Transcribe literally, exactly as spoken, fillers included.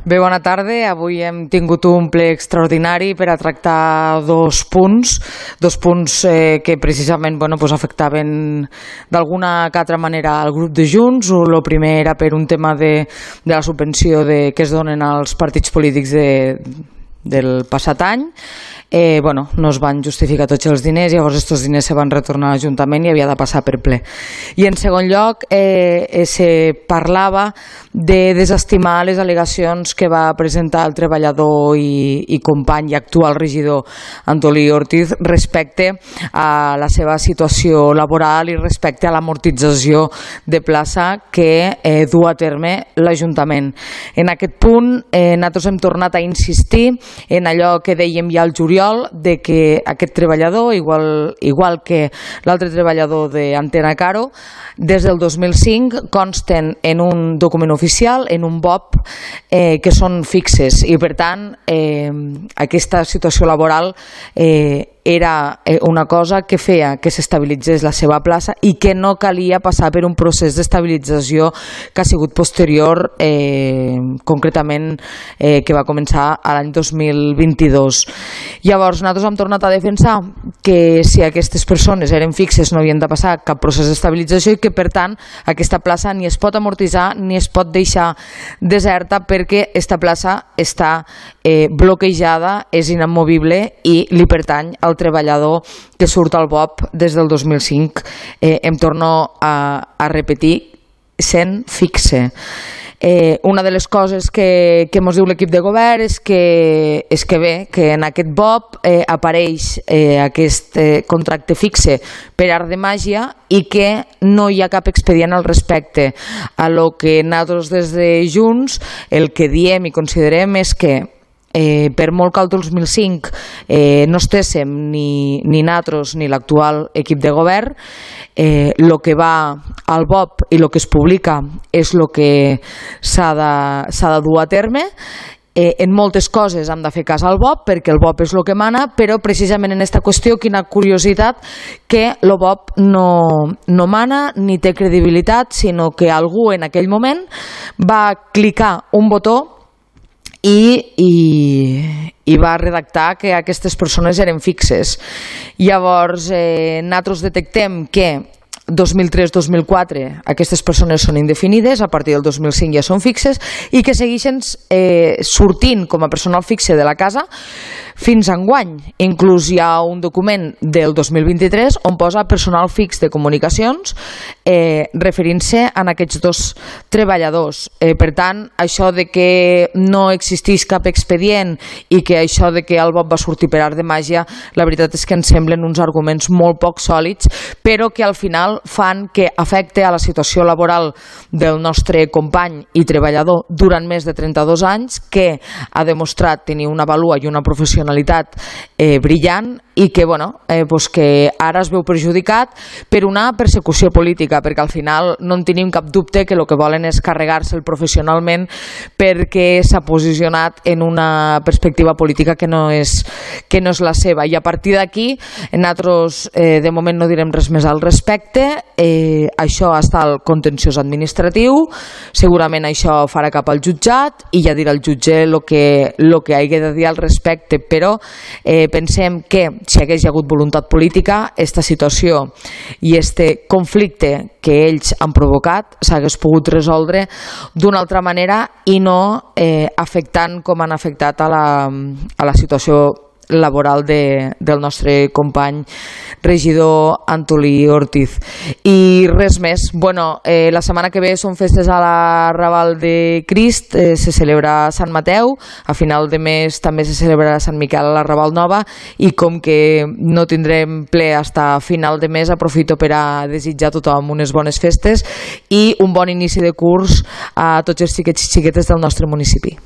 Bé, bona tarda. Avui hem tingut un ple extraordinari per a tractar dos punts, dos punts eh, que precisament bueno, pues afectaven d'alguna que altra manera al grup de Junts. El primer era per un tema de, de la subvenció de, que es donen als partits polítics de, del passat any. Eh, bueno, no es van justificar tots els diners, llavors aquests diners se van retornar a l'Ajuntament i havia de passar per ple. I en segon lloc eh, eh, se parlava de desestimar les al·legacions que va presentar el treballador i, i company i actual regidor Antolí Ortiz respecte a la seva situació laboral i respecte a l'amortització de plaça que eh, du a terme l'Ajuntament. En aquest punt eh, nosaltres hem tornat a insistir en allò que dèiem ja al juliol, de que aquest treballador, igual, igual que l'altre treballador d'Antena Caro, des del dos mil cinc consten en un document oficial, en un B O P, eh, que són fixes i per tant eh, aquesta situació laboral eh, era una cosa que feia que s'estabilitzés la seva plaça i que no calia passar per un procés d'estabilització que ha sigut posterior, eh, concretament eh, que va començar l'any dos mil vint-i-dos. Llavors nosaltres hem tornat a defensar que si aquestes persones eren fixes no havien de passar cap procés d'estabilització i que per tant aquesta plaça ni es pot amortitzar ni es pot deixar deserta perquè aquesta plaça està eh, bloquejada, és inamovible i li pertany al treballador que surt al B O P des del dos mil cinc. Eh, em torno a, a repetir, sent fixe. Eh, una de les coses que, que ens diu l'equip de govern és que, és que bé, que en aquest B O P eh, apareix eh, aquest eh, contracte fixe per art de màgia i que no hi ha cap expedient al respecte. A lo que nosaltres des de Junts el que diem i considerem és que Eh, per molt que el dos mil cinc eh, no estéssim ni, ni nosaltres ni l'actual equip de govern, eh, lo que va al B O P i el que es publica és el que s'ha de, s'ha de dur a terme. Eh, en moltes coses hem de fer cas al B O P perquè el B O P és el que mana, però precisament en aquesta qüestió, quina curiositat, que el B O P no, no mana ni té credibilitat, sinó que algú en aquell moment va clicar un botó I, i, i va redactar que aquestes persones eren fixes. Llavors eh, nosaltres detectem que dos mil tres dos mil quatre aquestes persones són indefinides, a partir del dos mil cinc ja són fixes i que segueixen eh, sortint com a personal fixe de la casa fins a enguany. Inclús hi ha un document del dos mil vint-i-tres on posa personal fix de comunicacions eh, referint-se a aquests dos treballadors. Eh, per tant, això de que no existeix cap expedient i que això de que el B O P va sortir per art de màgia, la veritat és que ens semblen uns arguments molt poc sòlids, però que al final fan que afecte a la situació laboral del nostre company i treballador durant més de trenta-dos anys, que ha demostrat tenir una vàlua i una professionalitat eh, brillant i que, bueno, eh, pues que ara es veu perjudicat per una persecució política, perquè al final no en tenim cap dubte que el que volen és carregar-se'l professionalment perquè s'ha posicionat en una perspectiva política que no és, que no és la seva. I a partir d'aquí, nosaltres eh, de moment no direm res més al respecte. Eh, això està al contenciós administratiu, segurament això farà cap al jutjat i ja dirà el jutge el que, lo que hagi de dir al respecte, però eh, pensem que si hagués hagut voluntat política, aquesta situació i este conflicte que ells han provocat s'hagués pogut resoldre d'una altra manera i no eh, afectant com han afectat a la, a la situació laboral de, del nostre company regidor Antolí Ortiz. I res més. Bueno, eh, la setmana que ve són festes a la Raval de Crist, eh, se celebra Sant Mateu, a final de mes també se celebrarà Sant Miquel a la Raval Nova i com que no tindrem ple fins a final de mes, aprofito per a desitjar a tothom unes bones festes i un bon inici de curs a tots els xiquets i xiquetes del nostre municipi.